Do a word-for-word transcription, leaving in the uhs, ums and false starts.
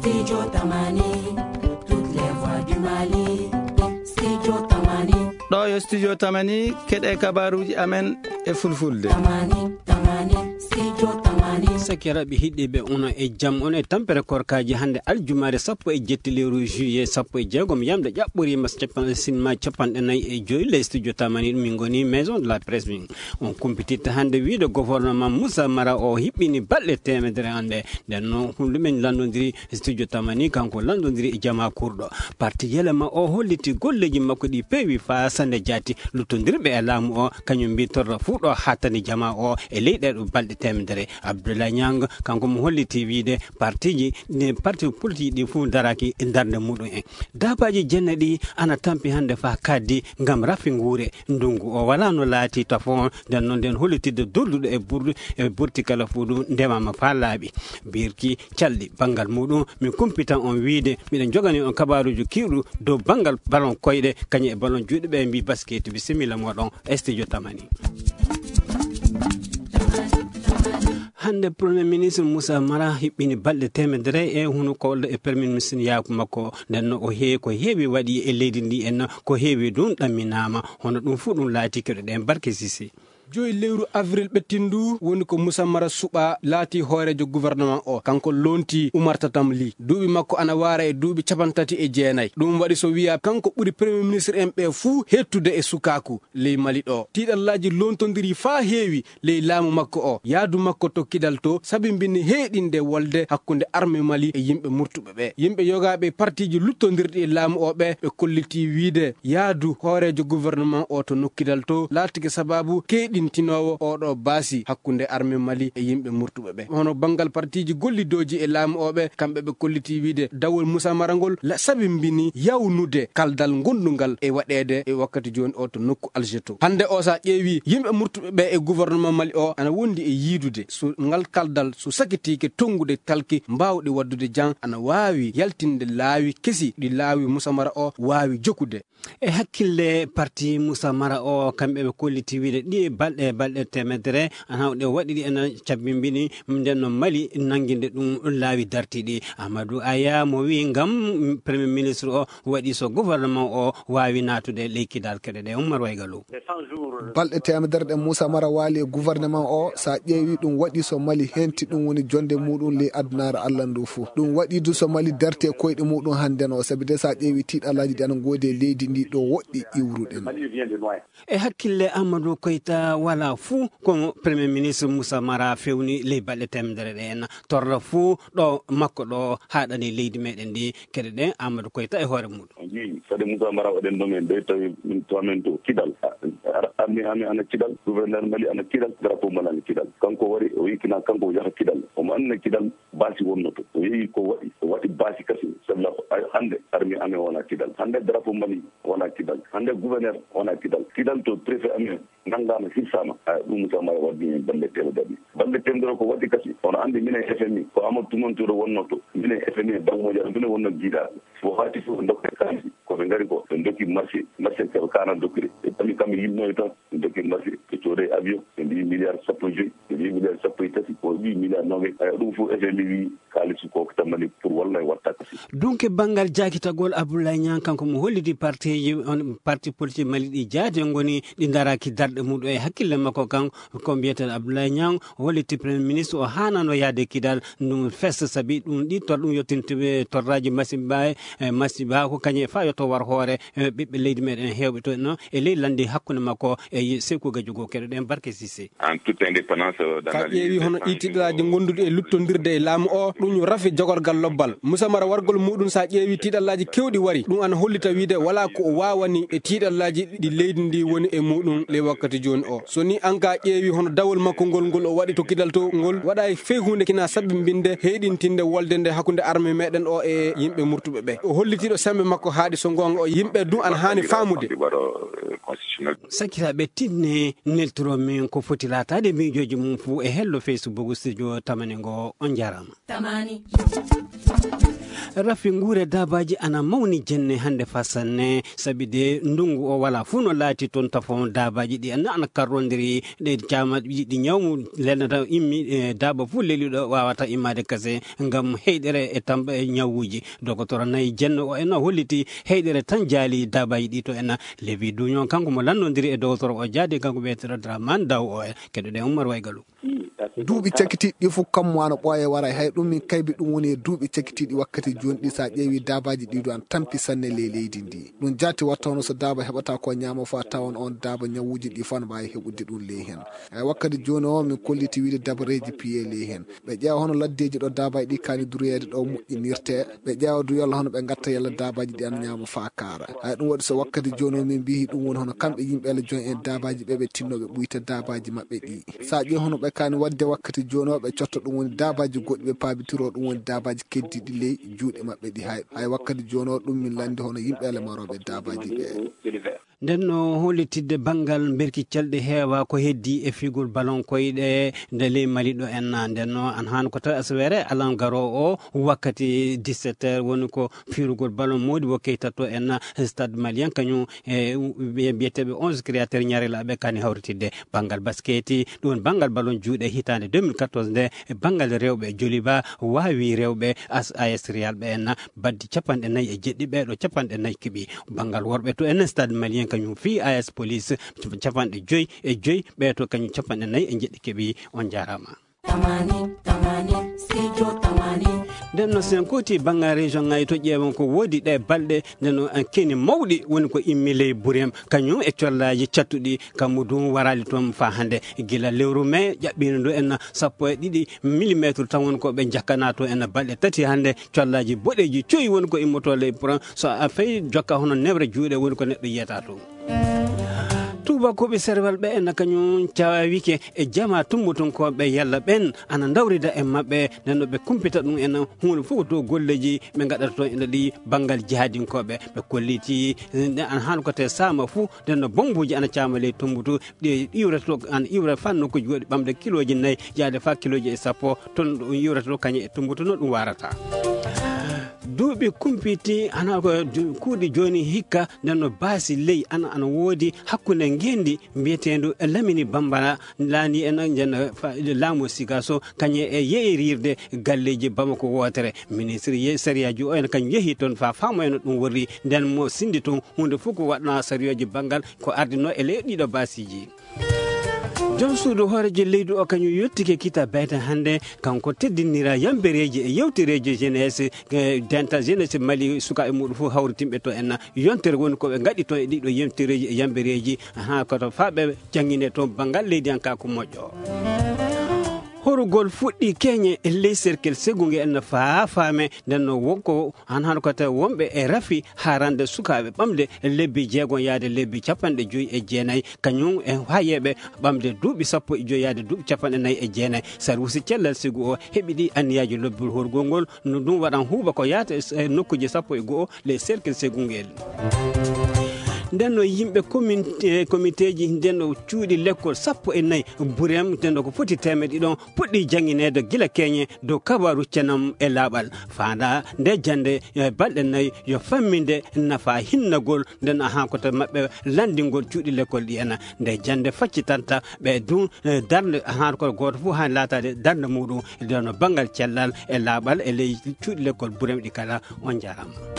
Studio Tamani, toutes les voix du Mali. Studio Tamani. Ɗo yo Studio Tamani, keɗe kabaruji amen e fulfulde. Tamani, Tamani, Studio Tamani. Sakiraɓe hiɗɗiɓe, ono e jam, on e tampere korkaji hande aljumaare sappo e jetti lewru juillet sappo e jeegom, yamde ƴaɓɓorima capan-, sinma capanɗe nayi e joyi le Studio Tamani, ɗum min goni Maison de la Presse min. On kumpititta hande wiide gouvernement Moussa Mara o hiɓɓini balɗe teemedere hande. Nden noon, ɗum min lanndondiri Studio Tamani, kanko lanndondiri e jama kurɗo. Parti Yelema o holliti golleji makko ɗi peewi faa sande jaati. Luttondirɓe e laamu o, kañum mbi torra fuu ɗo hattani jama o e ley ɗee ɗo balɗe teemedere. Abdoulaye Niang, kanko mo holliti wiide partiji, ɗi parti politique ɗi fuu daraki e darnde muɗum en. Daabaaji jenne ɗi ana tampi hande faa kaddi ngam rafi nguure. Ndungu o wala no laati tafo, nden noon nden hollitidde durduɗo e burdu, e burti kala fuu ɗum ndemama faa laaɓi. Birki calɗi banngal muɗum, min kumpitan on wiide, miɗen jogani on kabaaruuji kiiɗu dow banngal balon koyɗe, kañum e balon juuɗe ɓe mbi basket. Bisimilla mooɗon, Studio Tamani. Hande Premier Ministre Moussa Mara hiɓɓini balɗe teemedere e hunuko e Premier Ministre yaaku makko. Nden no o hee-, ko heewi waɗi e leydi ndi en, ko heewi ɗum ɗamminaama. Hono ɗum fuu ɗum laati keɗoɗen Barke Sisi. Joyi lewru avril ɓettindu woni ko Moussa Mara Suɓa laati hooreejo gouvernement o. Kanko lonti Oumar Tatam Ly. Duuɓi makko ana waara e duuɓi capantati e jeenayi. Ɗum waɗi so wiya kanko ɓuri Premier Ministre en ɓe fuu hettude e sukaaku ley Mali ɗo. Tiiɗallaaji lontondiri faa heewi ley laamu makko o. Yaadu makko to Kidal to sabimbini heeɗinde wolde hakkunde arme Mali e yimɓe murtuɓe ɓe. Yimɓe yogaaɓe e partiji luttondirɗi e laamu o ɓe, ɓe kolliti wiide yaadu hooreejo gouvernement o to nokkidal to laatike sababu keeɗintinoowo oɗo baasi hakkunde arme Mali e yimɓe murtuɓe ɓe. Hono banngal partiji gollidooji e laamu o ɓe, kamɓe ɓe kolliti wiide dawol Moussa Mara ngol la-, sabimbini yawnude kaldal gondungal e waɗeede e wakkati jooni o to nokku Alger to. Hande o, sa ƴeewi yimɓe murtuɓe ɓe e gouvernement Mali o ana wondi e yiidude so ngal kaldal so sakitiike tonngude kalki mbaawɗi waɗdude jan ana waawi yaltinde laawi kesi ɗi laawi Moussa Mara o waawi jokude. E hakkille parti Moussa Mara o, kamɓe ɓe kolliti wiide ɗi balɗe, balɗe teemedere, ana ɗe waɗi ɗi ena cabbimbini, nden no Mali nannginde ɗum laawi dartiiɗi. Amadou Aya mo wi ngam Premier Ministre o waɗi so gouvernement o waawi naatude ley kidal keɗe ɗe. Ummar Waygalo. Balɗe teemedere ɗe Moussa Mara waali e gouvernement o, sa ƴeewi ɗum waɗi so Mali henti, ɗum woni jonde muɗum ley adunaaru Allah ndu fuu. Ɗum waɗi du so Mali darti e koyɗe muɗum hannden o, sabi de sa ƴeewi tiiɗalaaji ɗi ana ngoodi e leydi ndi ɗo woɗɗi iwruɗen. E hakkille Amadou Koyta wala fuu ko Premier Ministre Moussa Mara fewni ley balɗe teemedere ɗe en torra fuu ɗo makko ɗo haaɗani leydi meɗen ndi. Keɗe ɗen Amadou Koyta e hoore muɗum. On ƴeewi, fade Moussa Mara waɗen ɗo men, ɗo tawi min to amen to Kidal. A-, ar-, armi, armi ana Kidal, gouverneur Mali ana Kidal, drapeau Mali ana Kidal. Kanko wari, o yikkina kanko o yaha Kidal. Omo anndi Kidal, baasi wonnoto. O yehi ko waɗi, o waɗi baasi kasi. Sabla ko ay-, hannde armi amen wona Kidal. Hannde drapeau Mali wona Kidal. Hannde gouverneur wona Kidal. Kidal to préfet amen nanngaama, hirsaama. A, ɗum Moussa Mara waɗi heen balɗe teemedere. Balɗe teemedere ko waɗi kasi. Oɗo anndi minen F M I, ko Amadou Toumani Touré wonnoo to. Minen F M I e Banque Mondiale, minen wonnoo jiidaa. Ko waati fof, ndokken kaalisi. Ko ɓe ngari ko, ɓe ndokki marché, marché keɓe kaana dokkude. Ɓe ɓami kamɓe yimɓe toon, ɓe ndokki marché, ɓe coodee avion, ɓe mbiyi milliard sappo e joyi, ɓe mbiyi milliard sappo e tati, o mbiyi milliard noogayi. Aya, ɗum fof F M I wi kaalis ko ko tammani pour walla e watta kasi. Donc, e banngal jaakitagol, Abdoulaye Niang kanko mo holliti partiji, on parti politique Mali ɗi jaati ngoni ɗi daraki darɗe muɗum e hakkille makko kan, ko mbiyeten Abdoulaye Niang, o holliti Premier Ministre o haanano yaade Kidal, ɗum festa sabi ɗum ɗi tor-, ɗum yettintuɓe torraji masiba e, e masiba ko kañum e faa yo to war hoore, e ɓiɓɓe leydi meɗen heewɓe to no e ley landi hakkunde makko e Seku Gajugo keɗoɗen Barke Sise. En toute indépendance, euh, dans sa la ƴeewi hono ɗi tiɗalaaji gonduɗi e luttondirde e laamu o, ɗum yo rafi jogorgal lobbal. Moussa Mara wargol muɗum sa ƴeewi tiɗalaaji kewɗi wari, ɗum ana hollita wiide wala ko o waawani e tiɗalaaji ɗi leydi ndi woni e muɗum ley wakkati jooni o. So ni an ka ƴeewi hono dawol makko ngol, ngol o waɗi to Kidal to, ngol waɗa e fey huunde kina sabbinbinde heyɗintinde wolde nde hakkunde arme meɗen o e yimɓe murtuɓe ɓe. O hollitiiɗo sembe makko haaɗi so goonga o yimɓe ɗum ana haani faamude. Sakiraaɓe tinne neltoro min ko foti laataade miijooji mum fuu e hello Facebook studio tamani ngo. On njaaraama. Tamani. Rafi nguure daabaaji ana mawni jenne hannde faa sanne, sabi de ndunngu o walaa fuu no laati toon tafo daabaaji ɗi ana, ana karrondiri, ɗe caama ɗi, ɗi ñawmu lelnata immi, e, daaba fuu leliɗo waawata immaade kase ngam heyɗere e tam-, e ñawuuji. Dogotoro nayi jenne o en holliti heyɗere tan jaali daabaaji ɗi to en. Levi Duñon kanko mo lanndondiri e dogotoro o jaade kanko wiyeteeɗo Draman Daw o en. Keɗoɗen Ummar Waygalu. Duuɓi cakitiiɗi ɗi fof kammu ana ɓooya e waray. Hay ɗum min kaybi ɗum woni e duuɓi cakitiiɗi wakkati jooni ɗi, so a ƴeewi daabaaji ɗi ɗo ana tampi sanne ley leydi ndi. Ɗum jaati watta hono so daaba heɓata ko ñaama fof a tawan on daaba ñawuuji ɗi fof ana mbaawi heɓude ɗum ley heen. Hay wakkati jooni o min kolliti wiide dabareeji piye ley heen. Ɓe ƴeewa hono laddeeji ɗo daabaaji ɗi kaani duroyeede ɗo moƴƴinirtee. Ɓe ƴeewa du yalla hono ɓe ngatta yalla daabaaji ɗi ana ñaama faa kaara. Hay ɗum waɗi so wakkati jooni o min mbiyi ɗum woni hono kamɓe yimɓe Allah jooni en daabaaji ɓe ɓe tinnooɓe ɓuyta daabaaji maɓɓe ɗi. So a ƴeewi hono ɓe kaani waɗde wakkati jooni o ɓe cotta ɗum woni daabaaji goɗɗi ɓe paabitiro ɗum woni daabaaji keddiiɗi ley juuɗe maɓɓe ɗi hay. Hay wakkati jooni o ɗum min lanndi hono yimɓe Allah marooɓe daabaaji ɓe. Nden no hollitidde banngal mberki calɗi heewa ko heddii e figol balon koyɗe nde ley Mali ɗo en na. Nden no an haan ko tawi asawere alan garoowo o wakkati dix-sept heures woni ko firugol balon mawɗi wo keytatto en na stade malien kañum e wiye-, wiyeteeɓe onze créateur ñarelaaɓe kani hawritidde banngal basketi, ɗum banngal balon juuɗe hitaande deux mille quatorze nde banngal rewɓe Joliba waawi rewɓe as-, A S Real ɓe en na. Baddi capanɗe nayi e jeɗɗi, ɓeeɗo capanɗe nayi keɓi. Banngal worɓe to en stade malien kañum fii A S Police, capanɗe joyi e joyi, ɓee to kañum capanɗe nayi e jeɗɗi keɓi. On jaaraama. Tamani, tamani, studio tamani. Nden no sen kooti banngal région ngaji to ƴeewen ko woodi ɗe balɗe, nden no en keni mawɗi woni ko immi ley Burem, kañum e collaaji cattuɗi, kammu dum waraali toon faa hannde. Gila lewru mai ƴaɓɓiino ndu en sappo e ɗiɗi millimetre tan woni ko ɓe njakkana to en balɗe tati hannde, collaaji boɗeeji coyi woni ko immotoo ley Burem, so a fay jokka hono newre juuɗe woni ko neɗɗo yiyata toon. Tuubakooɓe serwal ɓe en kañum cawawike e jama tumbutunkooɓe yalla ɓen ana ndawrida e maɓɓe, nden no ɓe kumpita ɗum en huunde fof ko to golleeji ɓe ngaɗata toon ene ɗi banngal jihadinkooɓe. Ɓe kolliti, eh, nde an haan ko te saama fuu, nden no bombuuji ana caama ley tumbutu, ɗi iwrata to, ana iwra faa nokkuuji goɗɗi ɓamde kilooji nayi, yaade faa kilooji e sappo, toon ɗum iwrata to kañum e tumbutu no ɗum warata. Duuɓi kumpiti, ana ko du-, kuuɗi jooni hikka, nden no baasi ley ana, ana woodi hakkunde ngeenndi mbiyeteendu Lamini Bambara, laani en njen fa-, laamu Sigaso, kañum e yeeyirirde galleeji Bamako wootere. Ministre ye-, sariyaaji o en kañum yehi toon faa faamoyno ɗum worri, nden mo sinndi toon huunde fof ko waɗna sariyaaji banngal ko ardinoo e ley ɗiɗo baasiiji. Joom suudu hooreejo leydi o kañum yottike kita bayta hannde, kanko teddinira yambereeji e yewtereeji jeunesse, eh, dental jeunesse Mali sukaaɓe muɗum fof hawritinɓe to en na. Yontere woni ko ɓe ngaɗi toon e ɗiɗo yewtereeji e yambereeji, haa koto faa ɓe janngine toon banngal leydi an ka ko moƴƴo. Horugol fuɗɗi keñe e ley cercle Segunge en faa faame, nden no wonko han han ko tawi wonɓe e rafi haarande sukaaɓe ɓamde lebbi jeegom yaade lebbi capanɗe joyi e jeenayi, kañum e hayeeɓe ɓamde duuɓi sappo e joyi yaade duuɓi capanɗe nayi e jeenayi. Sarwusi cellal sigu o heɓi ɗi anniyaaji lobbol horgol ngol, no ɗum waɗan huuɓa ko yaata e, e nokkuuji sappo e go'o le cercle Segungel. Nden no yimɓe commune, e comité ji, nden no cuuɗi lekkol sappo e nayi Burem, nden no ko foti teemedde ɗiɗon puɗɗi janngineede gila keñe dow kabaru cenam e laaɓal. Faanda nde jannde, e balɗe nayi yo famminde nafa hinnagol, nden ahan ko to maɓɓe lanndingol cuuɗi lekkol ɗi ena. Nde jannde faccitanta ɓe dun, e darnde ahan ko gooto fof han laataade darnde muɗum, nden no banngal cellal e laaɓal e ley cuuɗi lekkol Burem ɗi kala. On jaaraama.